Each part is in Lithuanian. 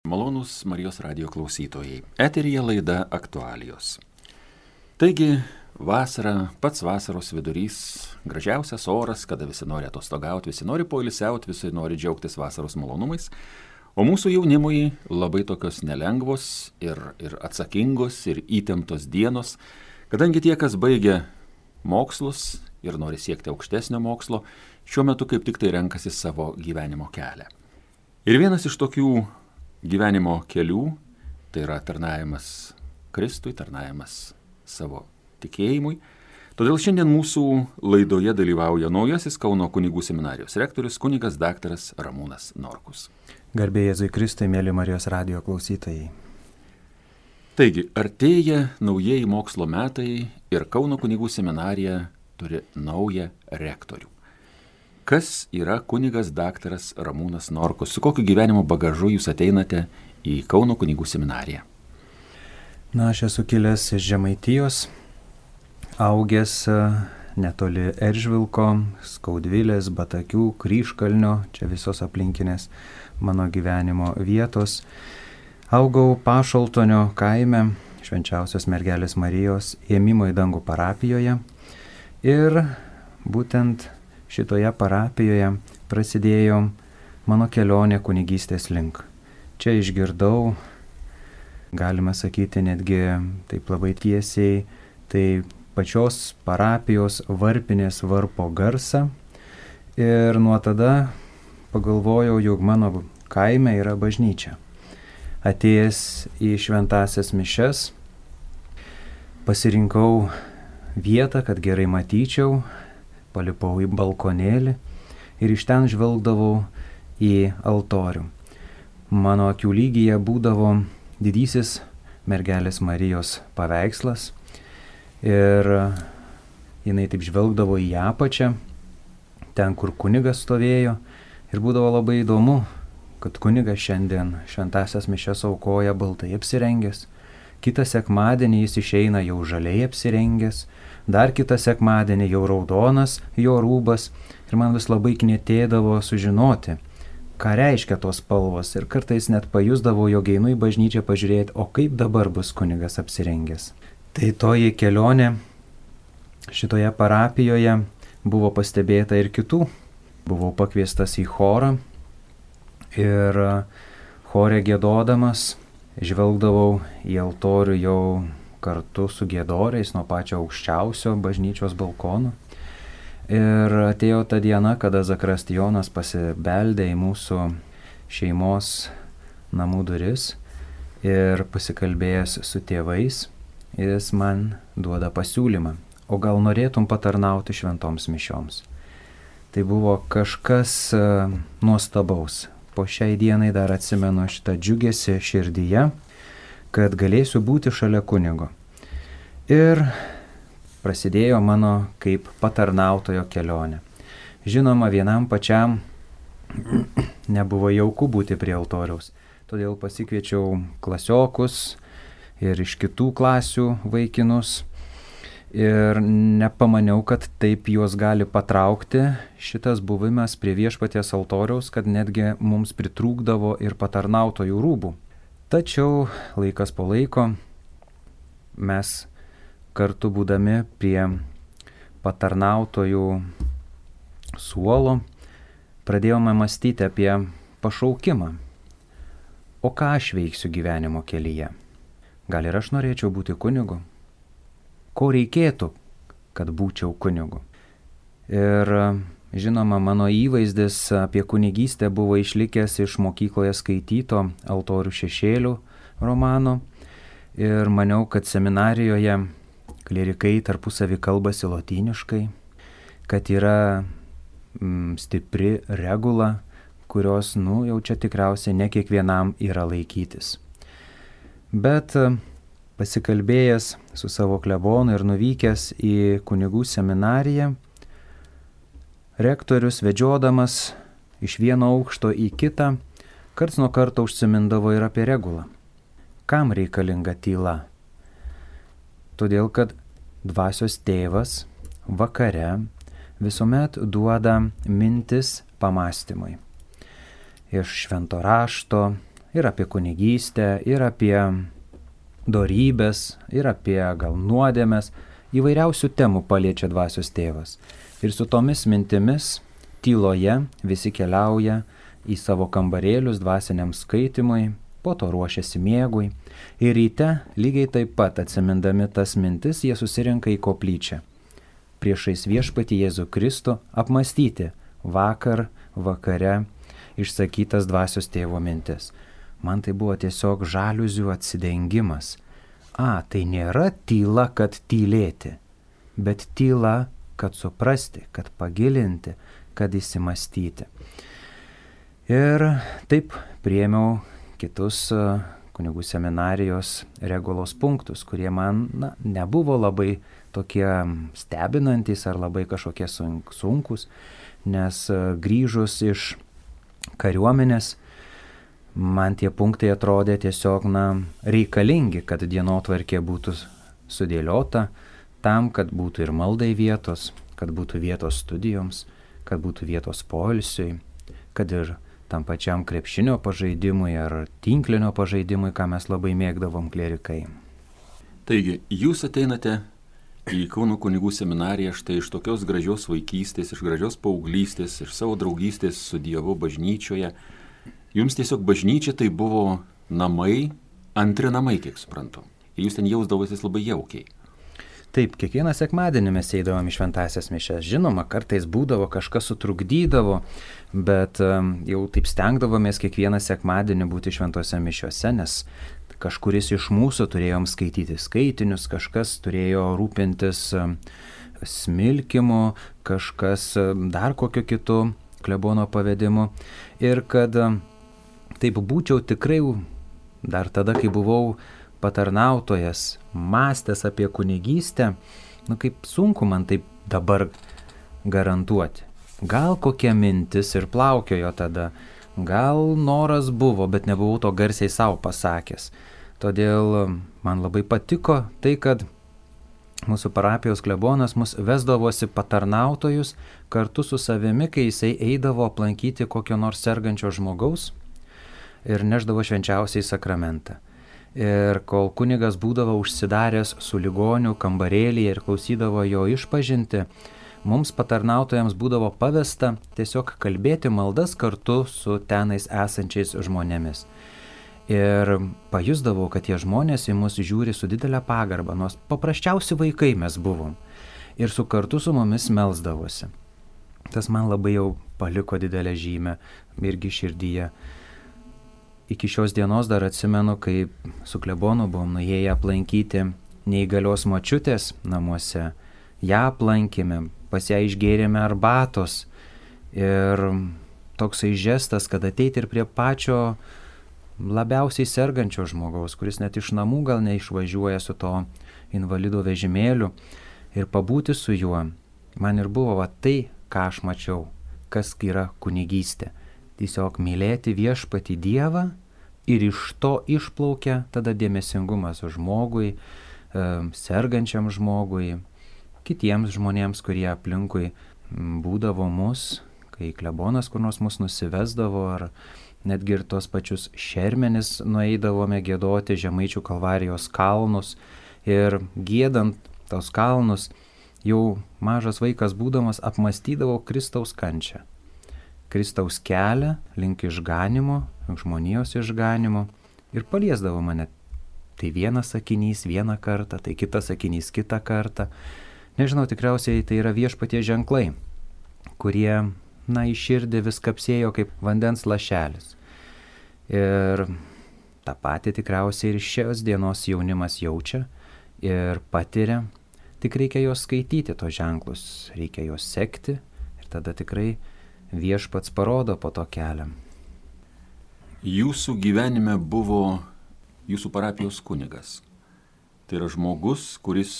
Malonūs Marijos radijo klausytojai. Eteryje laida Aktualijos. Taigi, vasara, pats vasaros vidurys, gražiausias oras, kada visi nori atostogauti, visi nori poilsiauti, visi nori džiaugtis vasaros malonumais. O mūsų jaunimui labai tokios nelengvos ir atsakingos ir įtemptos dienos, kadangi tie, kas baigia mokslus ir nori siekti aukštesnio mokslo, šiuo metu kaip tik tai renkasi savo gyvenimo kelią. Ir vienas iš tokių gyvenimo kelių, tai yra tarnavimas Kristui, tarnavimas savo tikėjimui. Todėl šiandien mūsų laidoje dalyvauja naujasis Kauno kunigų seminarijos rektorius kunigas daktaras Ramūnas Norkus. Garbė Jėzui Kristui, mėly Marijos radijo klausytojai. Taigi, artėja naujieji mokslo metai ir Kauno kunigų seminarija turi naują rektorių. Kas yra kunigas daktaras Ramūnas Norkus? Su kokiu gyvenimo bagažu jūs ateinate į Kauno kunigų seminariją? Aš esu kilęs iš Žemaitijos, augęs netoli Eržvilko, Skaudvilės, Batakių, Kryžkalnio, čia visos aplinkinės mano gyvenimo vietos. Augau Pašaltonio kaime, Švenčiausios mergelės Marijos ėmimo į dangų parapijoje ir būtent šitoje parapijoje prasidėjo mano kelionė kunigystės link. Čia išgirdau, galima sakyti netgi taip labai tiesiai, tai pačios parapijos varpinės varpo garsą ir nuo tada pagalvojau, jog mano kaime yra bažnyčia. Atėjęs į šventąsias mišias, pasirinkau vietą, kad gerai matyčiau, palipau į balkonėlį ir iš ten žvelgdavau į altorių. Mano akių lygyje būdavo didysis mergelės Marijos paveikslas ir jinai taip žvelgdavo į apačią, ten kur kunigas stovėjo ir būdavo labai įdomu, kad kunigas šiandien šventąsias mišias aukoja baltai apsirengęs, kitą sekmadienį jis išeina jau žaliai apsirengęs, dar kitą sekmadienį jau raudonas jo rūbas ir man vis labai knietėdavo sužinoti, ką reiškia tos spalvos ir kartais net pajusdavau, jog einu į bažnyčią pažiūrėti, o kaip dabar bus kunigas apsirengęs. Tai toji kelionė šitoje parapijoje buvo pastebėta ir kitų. Buvau pakviestas į chorą ir chore giedodamas žvelgdavau į altorių jau kartu su giedoriais nuo pačio aukščiausio bažnyčios balkono. Ir atėjo ta diena, kada zakristijonas pasibeldė į mūsų šeimos namų duris ir pasikalbėjęs su tėvais, jis man duoda pasiūlymą, o gal norėtum patarnauti šventoms mišioms. Tai buvo kažkas nuostabaus. Po šiai dienai dar atsimenu šitą džiugesį širdyje, kad galėsiu būti šalia kunigo. Ir prasidėjo mano kaip patarnautojo kelionė. Žinoma, vienam pačiam nebuvo jauku būti prie altoriaus, todėl pasikviečiau klasiokus ir iš kitų klasių vaikinus ir nepamaniau, kad taip juos gali patraukti šitas buvimas prie viešpaties altoriaus, kad netgi mums pritrūkdavo ir patarnautojų rūbų. Tačiau laikas po laiko mes kartu būdami prie patarnautojų suolo pradėjome mąstyti apie pašaukimą. O ką aš veiksiu gyvenimo kelyje? Gal ir aš norėčiau būti kunigu? Ko reikėtų, kad būčiau kunigu? Ir žinoma, mano įvaizdis apie kunigystę buvo išlikęs iš mokykloje skaityto Altorių šešėlių romano ir maniau, kad seminarijoje klierikai tarpusavį kalbasi lotyniškai, kad yra stipri regula, kurios, jau čia tikriausiai ne kiekvienam yra laikytis. Bet pasikalbėjęs su savo klebonu ir nuvykęs į kunigų seminariją, rektorius vedžiodamas iš vieno aukšto į kitą, karts nuo karto užsimindavo ir apie regulą. Kam reikalinga tyla? Todėl, kad dvasios tėvas vakare visuomet duoda mintis pamąstymui. Iš švento rašto, Ir apie kunigystę, ir apie dorybės, ir apie gal nuodėmes. Įvairiausių temų paliečia dvasios tėvas. Ir su tomis mintimis tyloje visi keliauja į savo kambarėlius dvasiniam skaitimui, po to ruošiasi miegui. Ir ryte lygiai taip pat atsimindami tas mintis jie susirenka į koplyčią. Priešais viešpatį Jėzų Kristų apmastyti vakare išsakytas dvasios tėvo mintis. Man tai buvo tiesiog žaliuzių atsidengimas. Tai nėra tyla, kad tylėti, bet tyla, kad suprasti, kad pagilinti, kad įsimastyti. Ir taip priėmiau kitus kunigų seminarijos regulos punktus, kurie man nebuvo labai tokie stebinantys ar labai kažkokie sunkus, nes grįžus iš kariuomenės, man tie punktai atrodė tiesiog reikalingi, kad dienotvarkė būtų sudėliota tam, kad būtų ir maldai vietos, kad būtų vietos studijoms, kad būtų vietos poilsiui, kad ir tam pačiam krepšinio pažaidimui ar tinklinio pažaidimui, ką mes labai mėgdavom klierikai. Taigi, jūs ateinate į Kauno kunigų seminariją štai iš tokios gražios vaikystės, iš gražios paauglystės, iš savo draugystės su Dievu bažnyčioje. Jums tiesiog bažnyčia tai buvo namai, antri namai, kiek suprantu. Ir jūs ten jausdavotės labai jaukiai. Taip, kiekvieną sekmadienį mes eidavom į šventąsias mišias. Žinoma, kartais būdavo, kažkas sutrukdydavo, bet jau taip stengdavomės kiekvieną sekmadienį būti šventose mišiose, nes kažkuris iš mūsų turėjom skaityti skaitinius, kažkas turėjo rūpintis smilkimu, kažkas dar kokiu kitu klebono pavedimu. Ir kad taip būčiau tikrai dar tada, kai buvau patarnautojas, mąstęs apie kunigystę, kaip sunku man taip dabar garantuoti. Gal kokia mintis ir plaukiojo tada, gal noras buvo, bet nebuvau to garsiai savo pasakęs. Todėl man labai patiko tai, kad mūsų parapijos klebonas mus vesdavosi patarnautojus kartu su savimi, kai jisai eidavo aplankyti kokio nors sergančio žmogaus ir neždavo švenčiausiai sakramentą. Ir kol kunigas būdavo užsidaręs su ligoniu kambarėlyje ir klausydavo jo išpažinti, mums patarnautojams būdavo pavesta tiesiog kalbėti maldas kartu su tenais esančiais žmonėmis. Ir pajusdavau, kad tie žmonės į mus žiūri su didelė pagarba, nors paprasčiausi vaikai mes buvom. Ir kartu su mumis melsdavosi. Tas man labai jau paliko didelę žymę irgi širdyje. Iki šios dienos dar atsimenu, kaip su klebonu buvom nuėję aplankyti neįgalios močiutės namuose. Ja aplankėme, pas ją išgėrėme arbatos. Ir toksai žestas, kad ateiti ir prie pačio labiausiai sergančio žmogaus, kuris net iš namų gal neišvažiuoja su to invalido vežimėliu, ir pabūti su juo. Man ir buvo tai, ką aš mačiau, kas yra kunigystė. Tiesiog mylėti viešpatį Dievą ir iš to išplaukia tada dėmesingumas žmogui, sergančiam žmogui, kitiems žmonėms, kurie aplinkui būdavo mus, kai klebonas kur nors mus nusivesdavo, ar netgi ir tos pačius šermenis nueidavome giedoti Žemaičių Kalvarijos kalnus, ir giedant tos kalnus jau mažas vaikas būdamas apmastydavo Kristaus kančią. Kristaus kelią link išganimo, žmonijos išganimo, ir paliesdavo mane. Tai vienas sakinys vieną kartą, tai kitas sakinys kitą kartą. Nežinau, tikriausiai tai yra viešpaties ženklai, kurie, į širdį vis kapsėjo kaip vandens lašelis. Ir tą patį tikriausiai ir šios dienos jaunimas jaučia ir patiria, tik reikia juos skaityti, tos ženklus, reikia juos sekti, ir tada tikrai viešpats parodo po to kelią. Jūsų gyvenime buvo jūsų parapijos kunigas. Tai yra žmogus, kuris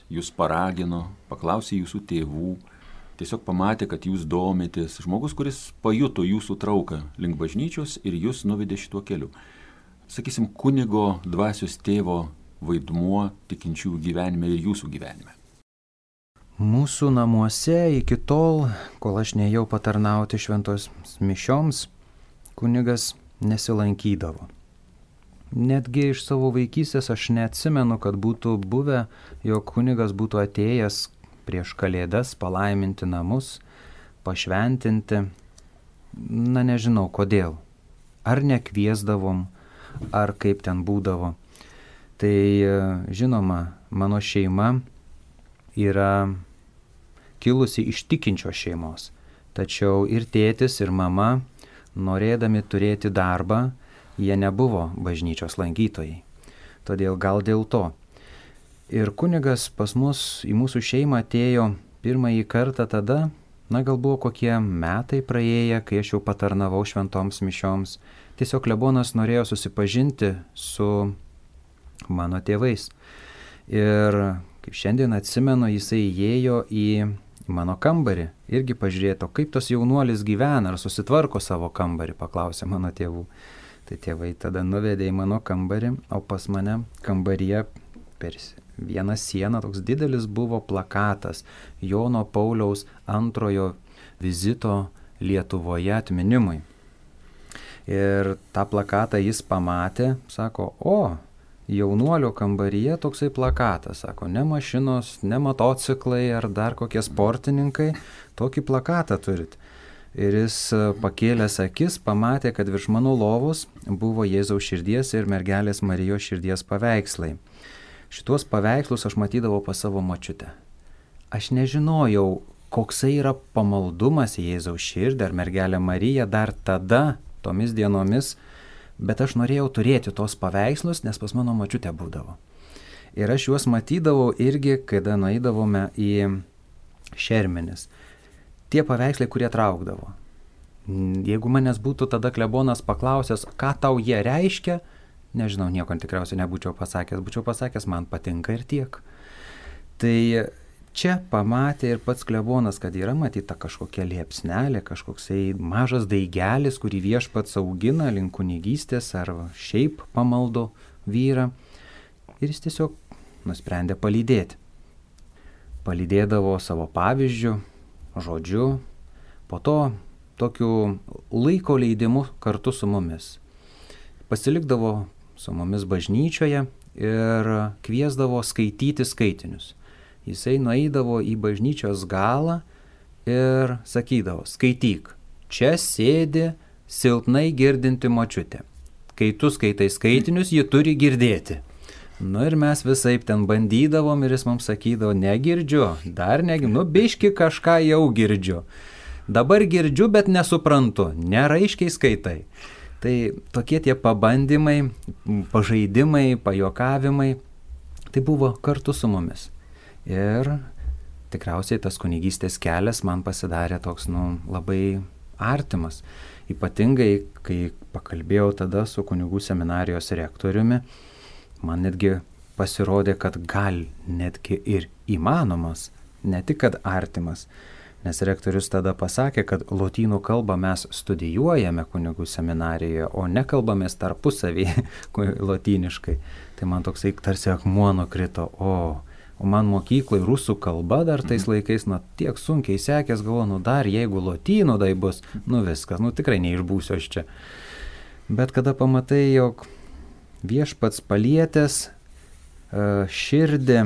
jūs paragino, paklausė jūsų tėvų, tiesiog pamatė, kad jūs domitės. Žmogus, kuris pajuto jūsų trauką link bažnyčios ir jūs nuvedė šituo keliu. Sakysim, kunigo dvasios tėvo vaidmuo tikinčiųjų gyvenime ir jūsų gyvenime. Mūsų namuose iki tol, kol aš neėjau patarnauti šventos mišioms, kunigas nesilankydavo. Netgi iš savo vaikystės aš neatsimenu, kad būtų buvę, jog kunigas būtų atėjęs prieš Kalėdas palaiminti namus, pašventinti. Na nežinau kodėl. Ar nekviesdavom, ar kaip ten būdavo. Tai žinoma, mano šeima yra kilusi iš tikinčios šeimos. Tačiau ir tėtis, ir mama, norėdami turėti darbą, jie nebuvo bažnyčios lankytojai. Todėl gal dėl to. Ir kunigas pas mus į mūsų šeimą atėjo pirmąjį kartą tada, gal buvo kokie metai praėję, kai aš jau patarnavau šventoms mišioms. Tiesiog klebonas norėjo susipažinti su mano tėvais. Ir kaip šiandien atsimenu, jisai įėjo į mano kambarį. Irgi pažiūrėto, kaip tas jaunuolis gyvena, ar susitvarko savo kambarį, paklausė mano tėvų. Tai tėvai tada nuvedė į mano kambarį, o pas mane kambaryje per vieną sieną toks didelis buvo plakatas Jono Pauliaus II vizito Lietuvoje atminimui. Ir tą plakatą jis pamatė, sako, jaunuolio kambaryje toksai plakatas, sako, ne mašinos, ne motociklai ar dar kokie sportininkai, tokį plakatą turit. Ir jis pakėlęs akis pamatė, kad virš mano lovos buvo Jėzaus širdies ir mergelės Marijos širdies paveikslai. Šituos paveikslus aš matydavau pas savo močiutę. Aš nežinojau, koksai yra pamaldumas į Jėzaus širdį ar mergelę Mariją dar tada, tomis dienomis, bet aš norėjau turėti tos paveikslus, nes pas mano močiutę būdavo. Ir aš juos matydavau irgi, kada nueidavome į Šermenis. Tie paveikslai, kurie traukdavo. Jeigu manęs būtų tada klebonas paklausęs, ką tau jie reiškia, nežinau, nieko tikriausiai nebūčiau pasakęs. Būčiau pasakęs, man patinka ir tiek. Tai čia pamatė ir pats klebonas, kad yra matyta kažkokia liepsnelė, kažkoksai mažas daigelis, kurį viešpats augina link kunigystės ar šiaip pamaldo vyrą. Ir jis tiesiog nusprendė palydėti. Palydėdavo savo pavyzdžių, žodžiu, po to tokiu laiko leidimu kartu su mumis. Pasilikdavo su mumis bažnyčioje ir kviesdavo skaityti skaitinius. Jisai nueidavo į bažnyčios galą ir sakydavo, skaityk, čia sėdi silpnai girdinti močiutė. Kai tu skaitai skaitinius, ji turi girdėti. Ir mes visaip ten bandydavom ir jis mums sakydavo, negirdžiu, dar negirdžiu, biški kažką jau girdžiu. Dabar girdžiu, bet nesuprantu, neraiškiai skaitai. Tai tokie tie pabandymai, pažaidimai, pajokavimai, tai buvo kartu su mumis. Ir tikriausiai tas kunigystės kelias man pasidarė toks, labai artimas. Ypatingai, kai pakalbėjau tada su kunigų seminarijos rektoriumi, man netgi pasirodė, kad gal netgi ir įmanomas, ne tik kad artimas, nes rektorius tada pasakė, kad lotynų kalbą mes studijuojame kunigų seminarijoje, o nekalbamės tarpusavį lotyniškai. Tai man toksai tarsi akmuo nukrito, o man mokyklai rusų kalba dar tais laikais, tiek sunkiai sekės, galvoju, dar jeigu lotynų tai bus, viskas, tikrai neišbūsiu aš čia. Bet kada pamatai, jog viešpats palietęs širdį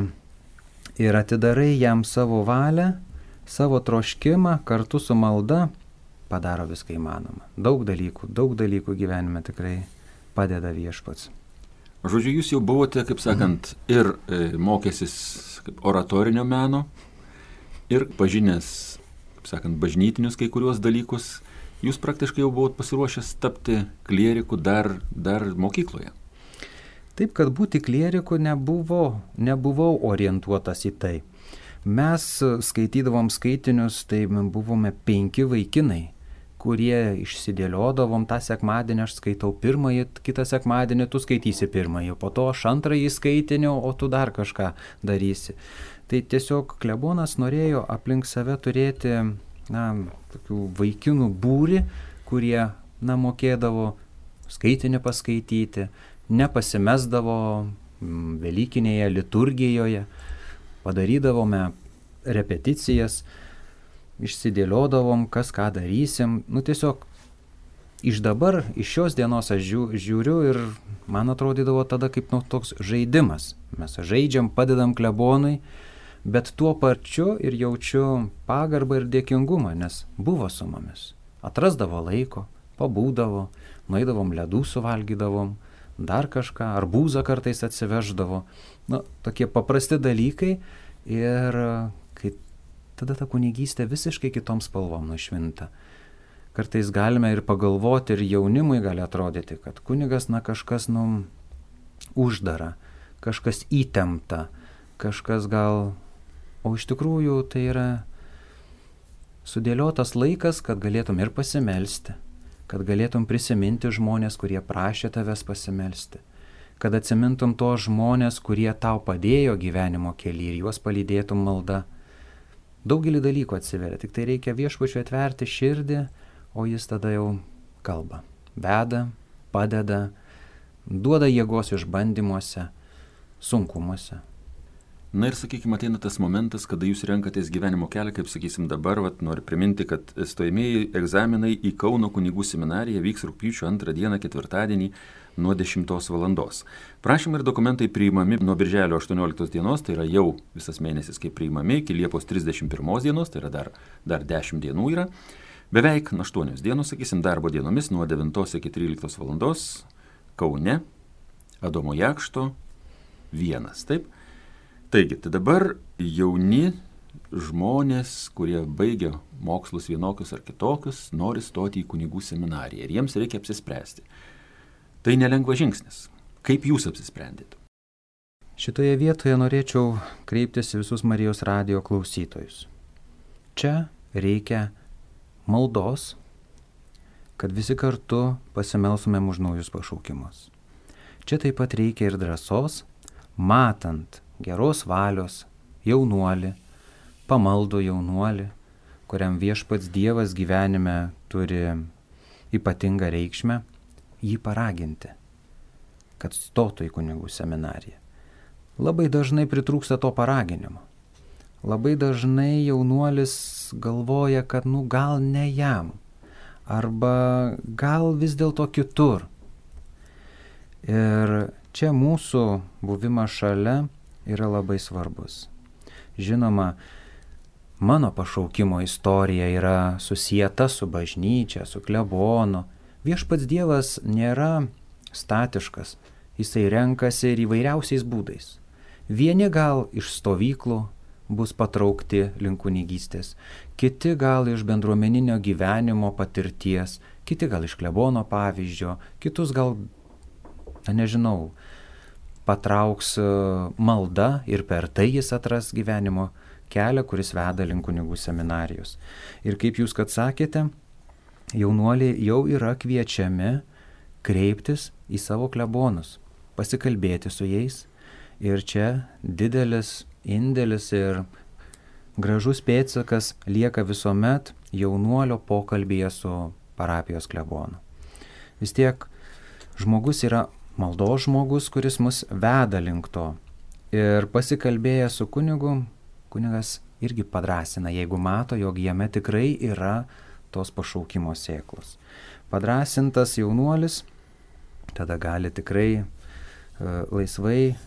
ir atidarai jam savo valią, savo troškimą kartu su malda, padaro viską įmanoma. Daug dalykų gyvenime tikrai padeda viešpats. Žodžiu, jūs jau buvote, kaip sakant, ir mokęsis oratorinio meno, ir pažinęs, kaip sakant, bažnytinius kai kuriuos dalykus. Jūs praktiškai jau buvot pasiruošęs tapti klieriku dar mokykloje. Taip, kad būti klieriku nebuvau orientuotas į tai. Mes skaitydavom skaitinius, tai buvome 5 vaikinai, kurie išsidėliodavom tą sekmadienį, aš skaitau pirmąjį, kitą sekmadienį tu skaitysi pirmąjį, po to aš antrąjį skaitinį, o tu dar kažką darysi. Tai tiesiog klebonas norėjo aplink save turėti tokių vaikinų būrį, kurie mokėdavo skaitinį paskaityti, nepasimesdavo velykinėje liturgijoje, padarydavome repeticijas, išsidėliodavom, kas ką darysim, tiesiog iš dabar, iš šios dienos aš žiūriu ir man atrodydavo tada kaip toks žaidimas. Mes žaidžiam, padedam klebonui, bet tuo pačiu ir jaučiu pagarbą ir dėkingumą, nes buvo su mumis. Atrasdavo laiko, pabūdavo, nueidavom ledų suvalgydavom, dar kažką, arbūzą kartais atsiveždavo. Tokie paprasti dalykai ir kai tada ta kunigystė visiškai kitom spalvom nušvinta. Kartais galime ir pagalvoti, ir jaunimui gali atrodyti, kad kunigas, kažkas, uždara, kažkas įtempta, kažkas gal, o iš tikrųjų tai yra sudėliotas laikas, kad galėtum ir pasimelsti, kad galėtum prisiminti žmonės, kurie prašė tavęs pasimelsti, kad atsimintum tos žmonės, kurie tau padėjo gyvenimo kely ir juos palydėtum malda. Daugelį dalykų atsiveria, tik tai reikia viešpačiui atverti širdį, o jis tada jau kalba, veda, padeda, duoda jėgos išbandymuose, sunkumuose. Na ir sakykime, ateina tas momentas, kada jūs renkatės gyvenimo kelią, kaip sakysim dabar, noriu priminti, kad stojamieji egzaminai į Kauno kunigų seminariją vyks rugpjūčio 2 dieną, ketvirtadienį nuo 10 valandos. Prašymai ir dokumentai priimami nuo birželio 18 dienos, tai yra jau visas mėnesis kaip priimami, iki Liepos 31 dienos, tai yra dar 10 dienų yra. Beveik 8 dienos, sakysim, darbo dienomis nuo 9 iki 13 valandos Kaune, Adomo Jakšto 1, taip? Taigi, tai dabar jauni žmonės, kurie baigia mokslus vienokius ar kitokius, nori stoti į kunigų seminariją ir jiems reikia apsispręsti. Tai nelengvas žingsnis. Kaip jūs apsisprendėte? Šitoje vietoje norėčiau kreiptis į visus Marijos radijo klausytojus. Čia reikia maldos, kad visi kartu pasimelsumėm už naujus pašaukimus. Čia taip pat reikia ir drąsos, matant geros valios jaunuolį, pamaldų jaunuolį, kuriam viešpats Dievas gyvenime turi ypatingą reikšmę, jį paraginti, kad stotų į kunigų seminariją. Labai dažnai pritrūksta to paraginimo. Labai dažnai jaunuolis galvoja, kad gal ne jam, arba gal vis dėlto kitur. Ir čia mūsų buvimas šalia yra labai svarbus. Žinoma, mano pašaukimo istorija yra susieta su bažnyčia, su klebonu. Viešpats Dievas nėra statiškas, jisai renkasi ir įvairiausiais būdais. Vieni gal iš stovyklų bus patraukti link kunigystės, kiti gal iš bendruomeninio gyvenimo patirties, kiti gal iš klebono pavyzdžio, kitus gal, patrauks malda ir per tai jis atras gyvenimo kelią, kuris veda link kunigų seminarijos. Ir kaip jūs kad sakėte, jaunuoliai jau yra kviečiami kreiptis į savo klebonus, pasikalbėti su jais. Ir čia didelis indėlis ir gražus pėdsakas lieka visuomet jaunuolio pokalbyje su parapijos klebonu. Vis tiek žmogus yra maldos žmogus, kuris mus veda link to. Ir pasikalbėjęs su kunigu, kunigas irgi padrąsina, jeigu mato, jog jame tikrai yra tos pašaukimo sėklos. Padrąsintas jaunuolis tada gali tikrai laisvai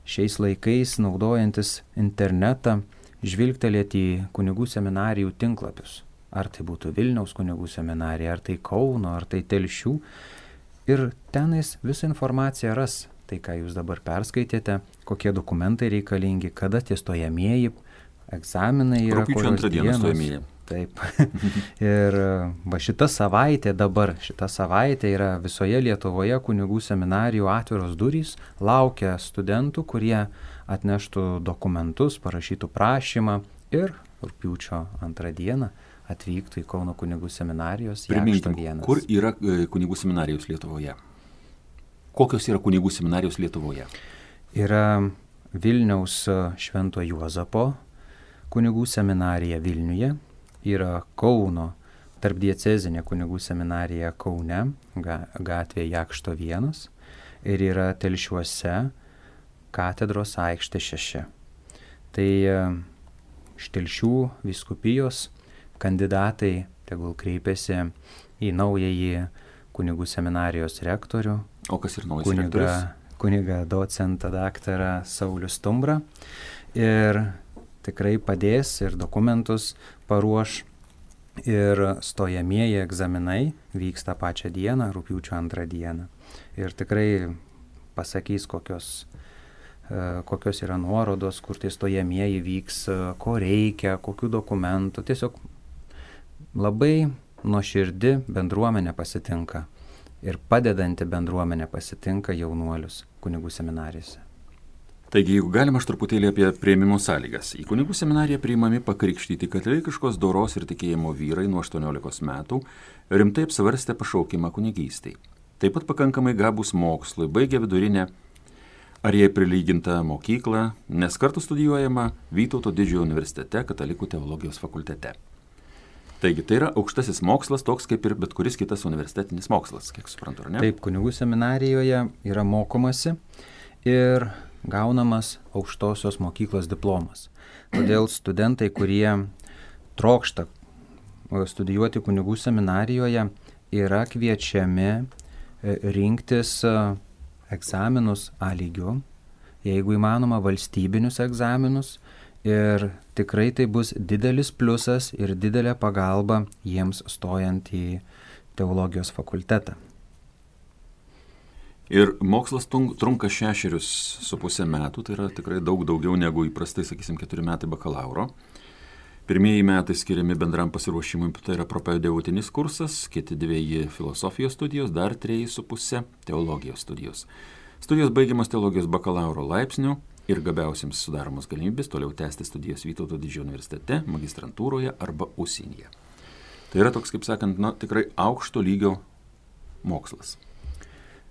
šiais laikais, naudojantis internetą, žvilgtelėti į kunigų seminarijų tinklapius. Ar tai būtų Vilniaus kunigų seminarija, ar tai Kauno, ar tai Telšių. Ir tenais visą informaciją ras. Tai, ką jūs dabar perskaitėte, kokie dokumentai reikalingi, kada tie stojamieji egzaminai yra. Rugpjūčio 2 dieną stojamieji. Taip. Ir šita savaitė yra visoje Lietuvoje kunigų seminarijų atviros durys, laukia studentų, kurie atneštų dokumentus, parašytų prašymą ir rugpjūčio 2 dieną atvyktų į Kauno kunigų seminarijos Jakšto 1. Kur yra kunigų seminarijos Lietuvoje? Kokios yra kunigų seminarijos Lietuvoje? Yra Vilniaus Švento Juozapo kunigų seminarija Vilniuje. Yra Kauno tarpdiecezinė kunigų seminarija Kaune, gatvė Jakšto 1, ir yra Telšiuose katedros aikštė 6. Tai iš Telšių vyskupijos kandidatai tegul kreipiasi į naująjį kunigų seminarijos rektorių. O kas ir naujas rektorius? Kunigą docentą daktarą Saulių Stumbrą. Ir tikrai padės ir dokumentus paruoš. Ir stojamieji egzaminai vyks tą pačią dieną, rugpjūčio 2 dieną. Ir tikrai pasakys, kokios yra nuorodos, kur tai stojamieji vyks, ko reikia, kokių dokumentų. Tiesiog labai nuoširdi bendruomenė pasitinka ir padedanti bendruomenė pasitinka jaunuolius kunigų seminarijose. Taigi, jeigu galima, aš truputėlį apie priėmimo sąlygas. Į kunigų seminariją priimami pakrikštyti katalikiškos doros ir tikėjimo vyrai nuo 18 metų, rimtai apsvarstę pašaukimą kunigystei. Taip pat pakankamai gabūs mokslui, baigę vidurinę ar jai prilygintą mokyklą, nes kartu studijuojama Vytauto Didžiojo universitete Katalikų teologijos fakultete. Taigi, tai yra aukštasis mokslas, toks kaip ir bet kuris kitas universitetinis mokslas, kiek suprantu, ar ne? Taip, kunigų seminarijoje yra mokomasi ir gaunamas aukštosios mokyklos diplomas. Todėl studentai, kurie trokšta studijuoti kunigų seminarijoje, yra kviečiami rinktis egzaminus A lygiu, jeigu įmanoma valstybinius egzaminus, ir tikrai tai bus didelis pliusas ir didelė pagalba jiems stojant į teologijos fakultetą. Ir mokslas trunka 6,5 metų, tai yra tikrai daug daugiau negu įprastai, sakysim, 4 metai bakalauro. Pirmieji metai skiriami bendram pasiruošimui, tai yra propedeutinis kursas, kiti 2 filosofijos studijos, dar 3,5 teologijos studijos. Studijos baigiamas teologijos bakalauro laipsniu ir gabiausiems sudaromos galimybės toliau tęsti studijas Vytauto Didžiojo universitete, magistrantūroje arba užsienyje. Tai yra toks, kaip sakant, tikrai aukšto lygio mokslas.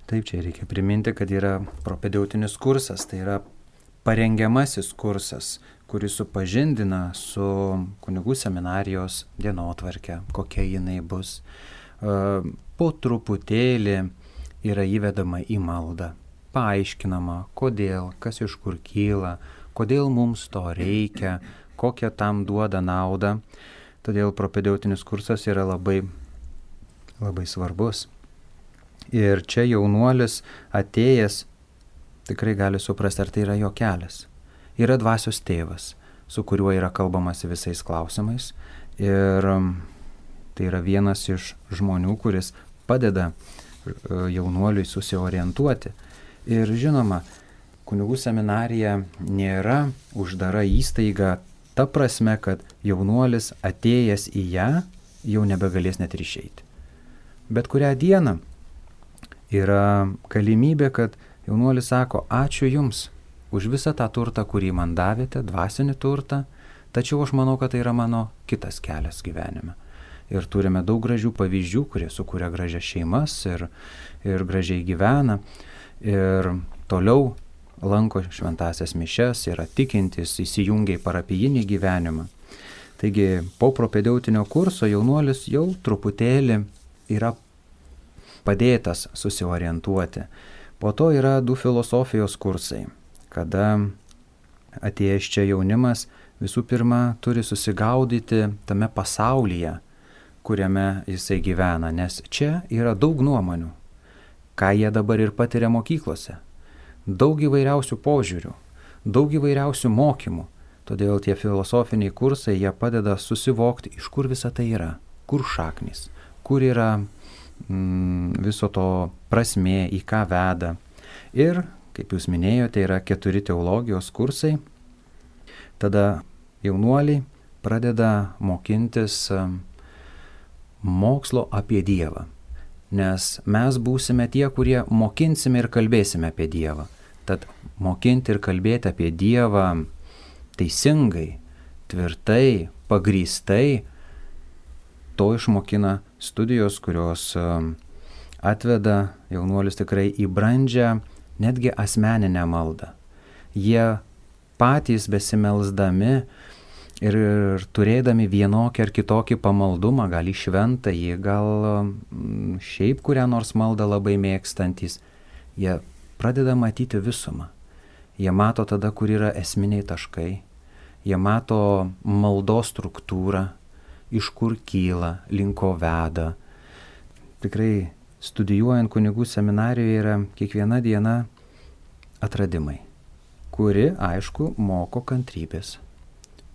Taip, čia reikia priminti, kad yra propedeutinis kursas, tai yra parengiamasis kursas, kuris supažindina su kunigų seminarijos dienotvarke, kokia jinai bus. Po truputėlį yra įvedama į maldą, paaiškinama, kodėl, kas iš kur kyla, kodėl mums to reikia, kokią tam duoda naudą. Todėl propedeutinis kursas yra labai, labai svarbus. Ir čia jaunuolis atėjęs tikrai gali suprasti, ar tai yra jo kelias. Yra dvasios tėvas, su kuriuo yra kalbamasi visais klausimais. Ir tai yra vienas iš žmonių, kuris padeda jaunuoliui susiorientuoti. Ir žinoma, kunigų seminarija nėra uždara įstaiga ta prasme, kad jaunuolis atėjęs į ją jau nebegalės net ir išeiti. Bet kurią dieną yra galimybė, kad jaunuolis sako, ačiū Jums už visą tą turtą, kurį man davėte, dvasinį turtą, tačiau aš manau, kad tai yra mano kitas kelias gyvenime. Ir turime daug gražių pavyzdžių, kurie sukuria gražias šeimas ir gražiai gyvena. Ir toliau lanko šventasias mišias, yra tikintys, įsijungia į parapijinį gyvenimą. Taigi po propedeutinio kurso jaunuolis jau truputėlį yra padėtas susiorientuoti. Po to yra 2 filosofijos kursai, kada atėjęs čia jaunimas visų pirma turi susigaudyti tame pasaulyje, kuriame jisai gyvena, nes čia yra daug nuomonių, ką jie dabar ir patiria mokyklose. Daug įvairiausių požiūrių, daug įvairiausių mokymų. Todėl tie filosofiniai kursai, jie padeda susivokti, iš kur visa tai yra, kur šaknis, kur yra viso to prasmė, į ką veda. Ir, kaip jūs minėjote, yra 4 teologijos kursai. Tada jaunuoliai pradeda mokintis mokslo apie Dievą. Nes mes būsime tie, kurie mokinsime ir kalbėsime apie Dievą. Tad mokinti ir kalbėti apie Dievą teisingai, tvirtai, pagrįstai, to išmokina studijos, kurios atveda jaunuolius tikrai į brandžią, netgi asmeninę maldą. Jie patys besimelsdami ir turėdami vienokį ar kitokį pamaldumą, gal į šventąjį, gal šiaip kurią nors maldą labai mėgstantys, jie pradeda matyti visumą. Jie mato tada, kur yra esminiai taškai, jie mato maldos struktūrą, iš kur kyla, link ko veda. Tikrai studijuojant kunigų seminarijoje yra kiekviena diena atradimai, kuri, aišku, moko kantrybės.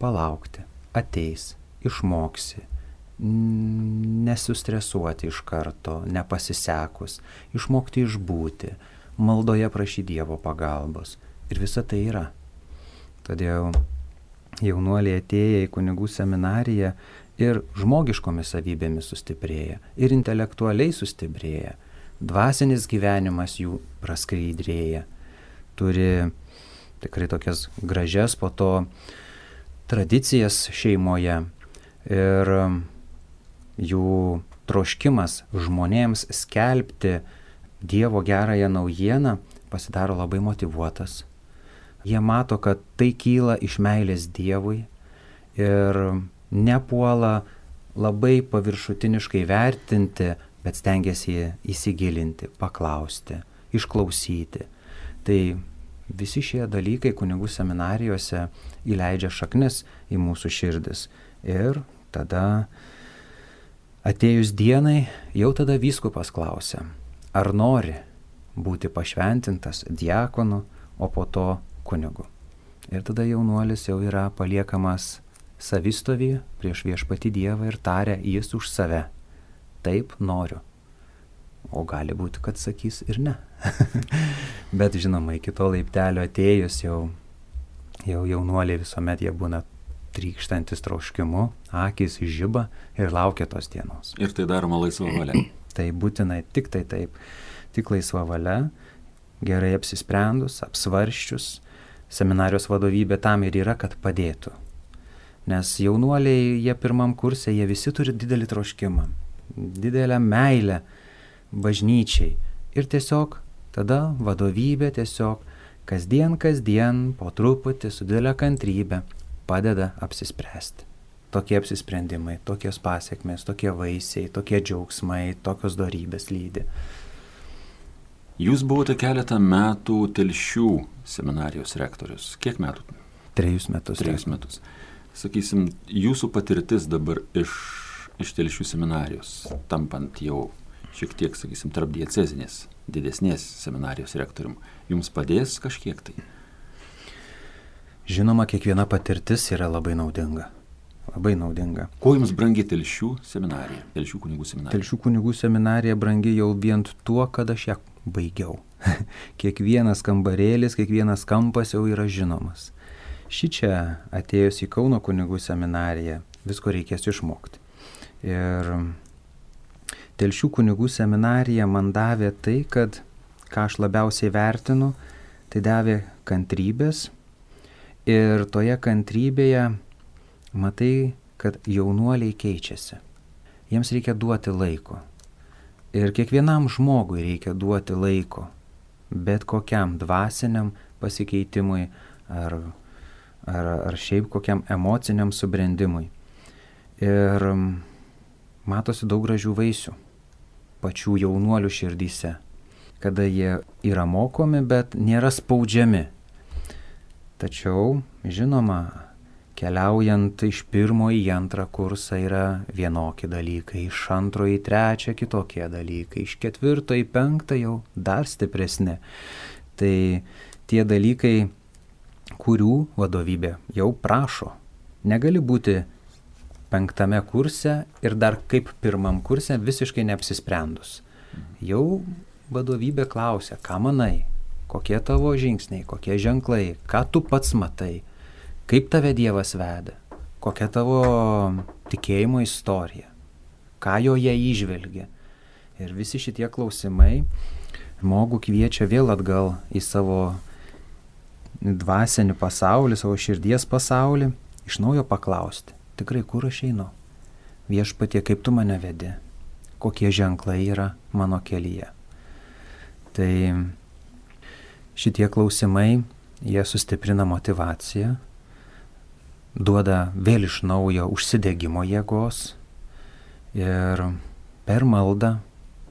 Palaukti, ateis, išmoksi, nesustresuoti iš karto, nepasisekus, išmokti išbūti, maldoje prašyti Dievo pagalbos. Ir visa tai yra. Todėl jaunuoliai atėję į kunigų seminariją ir žmogiškomis savybėmis sustiprėja, ir intelektualiai sustiprėja, dvasinis gyvenimas jų praskaidrėja, turi tikrai tokias gražias po to tradicijas šeimoje ir jų troškimas žmonėms skelbti Dievo gerąją naujieną pasidaro labai motyvuotas. Jie mato, kad tai kyla iš meilės Dievui ir nepuola labai paviršutiniškai vertinti, bet stengiasi įsigilinti, paklausti, išklausyti. Tai visi šie dalykai kunigų seminarijose įleidžia šaknis į mūsų širdis. Ir tada atėjus dienai, jau tada vyskupas klausia, ar nori būti pašventintas diakonu, o po to kunigu. Ir tada jaunuolis jau yra paliekamas savistovį prieš viešpatį Dievą ir taria jis už save. Taip noriu. O gali būti, kad sakys ir ne. Bet žinoma, iki to laiptelio atėjus jau jaunuoliai visuomet jie būna trykštantis troškimu, akys žiba ir laukia tos dienos. Ir tai daroma laisva valia. Tai būtinai tik tai taip. Tik laisva valia, gerai apsisprendus, apsvarščius. Seminarijos vadovybė tam ir yra, kad padėtų. Nes jaunuoliai, jie pirmam kurse, jie visi turi didelį troškimą, didelę meilę bažnyčiai. Ir tiesiog tada vadovybė tiesiog kasdien po truputį su didelė kantrybė padeda apsispręsti. Tokie apsisprendimai, tokios pasiekmės, tokie vaisiai, tokie džiaugsmai, tokios dorybės lydi. Jūs buvote keletą metų Telšių seminarijos rektorius. Kiek metų? 3 metus. 3 metus. Sakysim, jūsų patirtis dabar iš Telšių seminarijos, tampant jau šiek tiek, sakysim, tarp diecezinės, didesnės seminarijos rektorium, jums padės kažkiek tai? Žinoma, kiekviena patirtis yra labai naudinga. Labai naudinga. Kuo jums brangi Telšių seminarija, Telšių kunigų seminarija? Telšių kunigų seminarija brangi jau vien tuo, kad aš ją baigiau. Kiekvienas kambarėlis, kiekvienas kampas jau yra žinomas. Šičia atėjus į Kauno kunigų seminariją visko reikės išmokti. Ir Telšių kunigų seminarija man davė tai, kad ką aš labiausiai vertinu, tai davė kantrybės. Ir toje kantrybėje matai, kad jaunuoliai keičiasi. Jiems reikia duoti laiko. Ir kiekvienam žmogui reikia duoti laiko. Bet kokiam dvasiniam pasikeitimui ar šiaip kokiam emociniam subrendimui. Ir matosi daug gražių vaisių pačių jaunuolių širdyse, kada jie yra mokomi, bet nėra spaudžiami. Tačiau, žinoma, keliaujant iš 1 į 2 kursą yra vienokie dalykai, iš 2 į 3 kitokie dalykai, iš 4 į 5 jau dar stipresni. Tai tie dalykai, kurių vadovybė jau prašo. Negali būti 5 kurse ir dar kaip 1 kurse visiškai neapsisprendus. Jau vadovybė klausia, ką manai, kokie tavo žingsniai, kokie ženklai, ką tu pats matai, kaip tave Dievas veda, kokia tavo tikėjimo istorija, ką joje įžvelgia. Ir visi šitie klausimai žmogų kviečia vėl atgal į savo dvasinį pasaulį, savo širdies pasaulį, iš naujo paklausti, tikrai kur aš einu? Viešpatie, kaip tu mane vedi? Kokie ženklai yra mano kelyje? Tai šitie klausimai, jie sustiprina motyvaciją, duoda vėl iš naujo užsidegimo jėgos ir per maldą,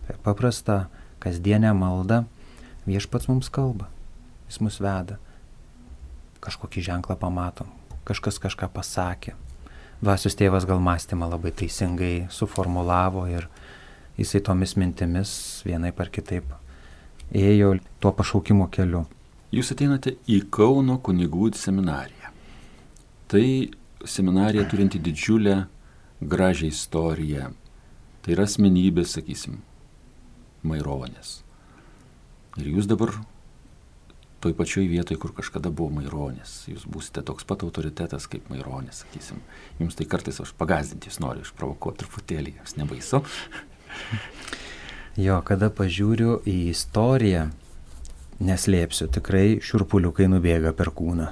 per paprastą kasdienę maldą viešpats mums kalba, jis mus veda. Kažkokį ženklą pamatom, kažkas kažką pasakė. Dvasios tėvas gal mąstymą labai teisingai suformulavo ir jisai tomis mintimis vienaip ar kitaip ėjo tuo pašaukimo keliu. Jūs ateinate į Kauno kunigų seminariją. Tai seminarija turinti didžiulę, gražią istoriją. Tai yra asmenybės, sakysim, Maironis. Ir jūs dabar toj pačioj vietoj, kur kažkada buvo Maironis. Jūs būsite toks pat autoritetas kaip Maironis, sakysim. Jums tai kartais aš pagazdinti jūs noriu, išprovokuoti truputėlį, jums nebaisu. Jo, kada pažiūriu į istoriją, neslėpsiu, tikrai šiurpuliukai nubėga per kūną.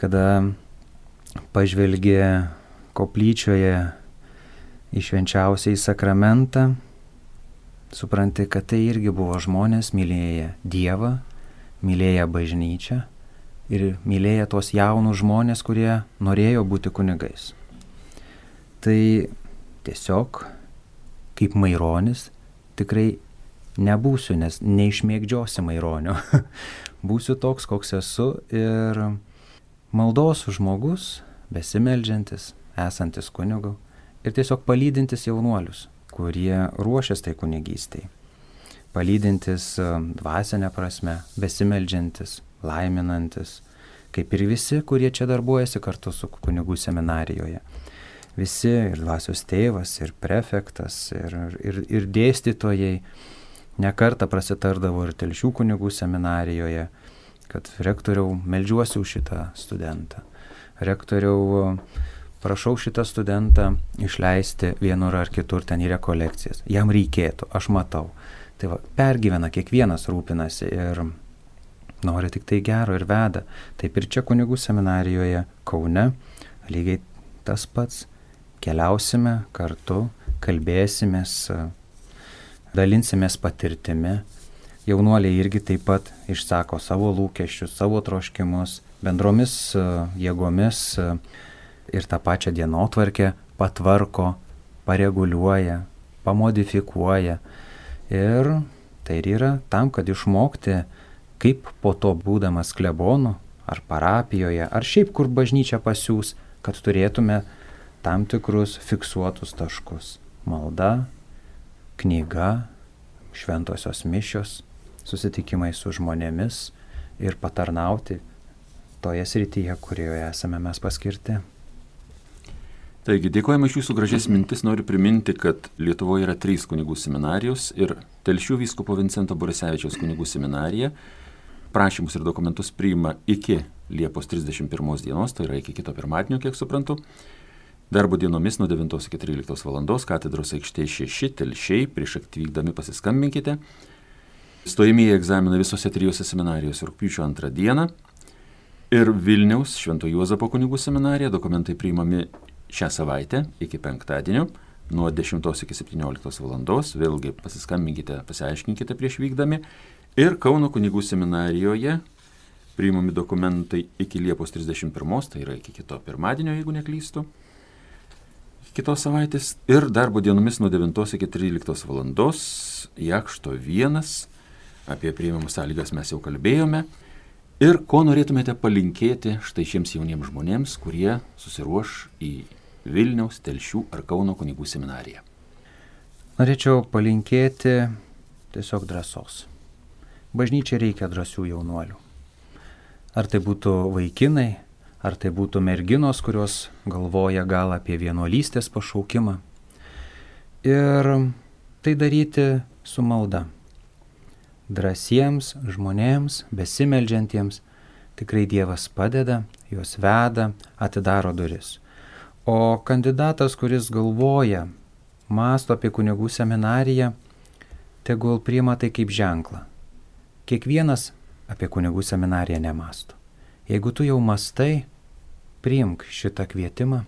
Kada pažvelgi koplyčioje į švenčiausiąjį sakramentą, supranti, kad tai irgi buvo žmonės mylėję Dievą, mylėję bažnyčią ir mylėję tos jaunus žmonės, kurie norėjo būti kunigais. Tai tiesiog, kaip Maironis, tikrai nebūsiu, nes neišmėgdžiosi Maironio. Būsiu toks, koks esu ir maldos žmogus, besimeldžiantis, esantis kunigu ir tiesiog palydintis jaunuolius, kurie ruošias tai kunigystei. Palydintis dvasinę prasme, besimeldžiantis, laiminantis, kaip ir visi, kurie čia darbuojasi kartu su kunigų seminarijoje. Visi, ir dvasios tėvas, ir prefektas, ir dėstytojai, nekartą prasitardavo ir Telšių kunigų seminarijoje, kad rektoriau, meldžiuosi už šitą studentą. Rektoriau, prašau šitą studentą išleisti vienur ar kitur ten į rekolekcijas. Jam reikėtų, aš matau. Tai va, pergyvena, kiekvienas rūpinasi ir nori tik tai gero ir veda. Taip ir čia kunigų seminarijoje Kaune lygiai tas pats. Keliausime kartu, kalbėsimės, dalinsimės patirtimi. Jaunuoliai irgi taip pat išsako savo lūkesčius, savo troškimus, bendromis jėgomis ir tą pačią dienotvarkę patvarko, pareguliuoja, pamodifikuoja. Ir tai ir yra tam, kad išmokti, kaip po to būdamas klebonu, ar parapijoje, ar šiaip kur bažnyčia pasiūs, kad turėtume tam tikrus fiksuotus taškus. Malda, knyga, šventosios mišios, susitikimai su žmonėmis ir patarnauti toje srityje, kurioje esame mes paskirti. Taigi, dėkojame iš jūsų gražias mintis. Noriu priminti, kad Lietuvoje yra 3 kunigų seminarijos ir Telšių vyskupo Vincento Borisevičiaus kunigų seminarija prašymus ir dokumentus priima iki Liepos 31 dienos, tai yra iki kito pirmadienio, kiek suprantu. Darbo dienomis nuo 9 iki 13 valandos, katedros aikštė 6, Telšiai, prieš atvykdami pasiskambinkite. Stojamieji egzaminai visose 3 seminarijose rugpjūčio 2 dieną. Ir Vilniaus Švento Juozapo kunigų seminarija dokumentai priimami šią savaitę iki penktadienio nuo 10 iki 17 valandos. Vėlgi pasiskambinkite, pasiaiškinkite prieš vykdami. Ir Kauno kunigų seminarijoje priimami dokumentai iki Liepos 31, tai yra iki kito pirmadienio, jeigu neklystu. Kitos savaitės ir darbo dienomis nuo 9 iki 13 valandos, Jakšto 1, apie priimamų sąlygas mes jau kalbėjome. Ir ko norėtumėte palinkėti štai šiems jauniems žmonėms, kurie susiruoš į Vilniaus, Telšių ar Kauno kunigų seminariją? Norėčiau palinkėti tiesiog drąsos. Bažnyčiai reikia drąsių jaunuolių. Ar tai būtų vaikinai, ar tai būtų merginos, kurios galvoja gal apie vienuolystės pašaukimą. Ir tai daryti su malda. Drąsiems žmonėms, besimeldžiantiems, tikrai Dievas padeda, juos veda, atidaro duris. O kandidatas, kuris galvoja, mąsto apie kunigų seminariją, tegul priima tai kaip ženklą. Kiekvienas apie kunigų seminariją nemąsto. Jeigu tu jau mąstai, priimk šitą kvietimą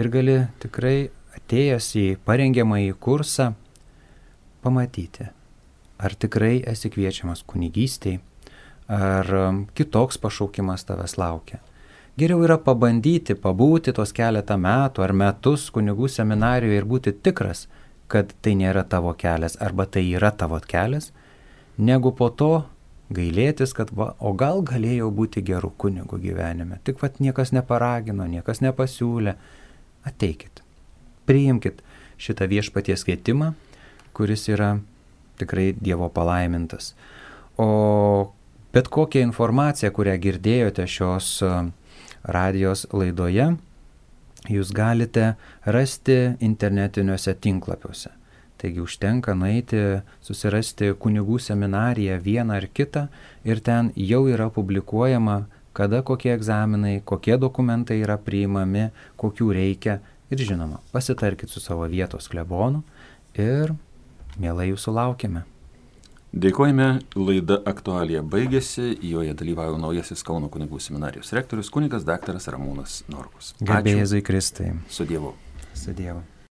ir gali tikrai atėjęs į parengiamąjį kursą pamatyti, ar tikrai esi kviečiamas kunigystei, ar kitoks pašaukimas tavęs laukia. Geriau yra pabandyti, pabūti tos keletą metų ar metus kunigų seminarijoje ir būti tikras, kad tai nėra tavo kelias arba tai yra tavo kelias, negu po to gailėtis, kad o gal galėjau būti geru kunigu gyvenime. Tik niekas neparagino, niekas nepasiūlė. Ateikit, priimkit šitą viešpaties kvietimą, kuris yra tikrai Dievo palaimintas. O bet kokią informaciją, kurią girdėjote šios radijos laidoje, jūs galite rasti internetiniuose tinklapiuose. Taigi užtenka nueiti, susirasti kunigų seminariją vieną ar kitą ir ten jau yra publikuojama, kada kokie egzaminai, kokie dokumentai yra priimami, kokių reikia. Ir žinoma, pasitarkit su savo vietos klebonu ir mielai jūsų laukiame. Dėkojame, laida Aktualija baigėsi, joje dalyvauja naujasis Kauno kunigų seminarijos rektorius kunigas daktaras Ramūnas Norkus. Garbė Jėzui Kristui. Su Dievu. Su Dievu.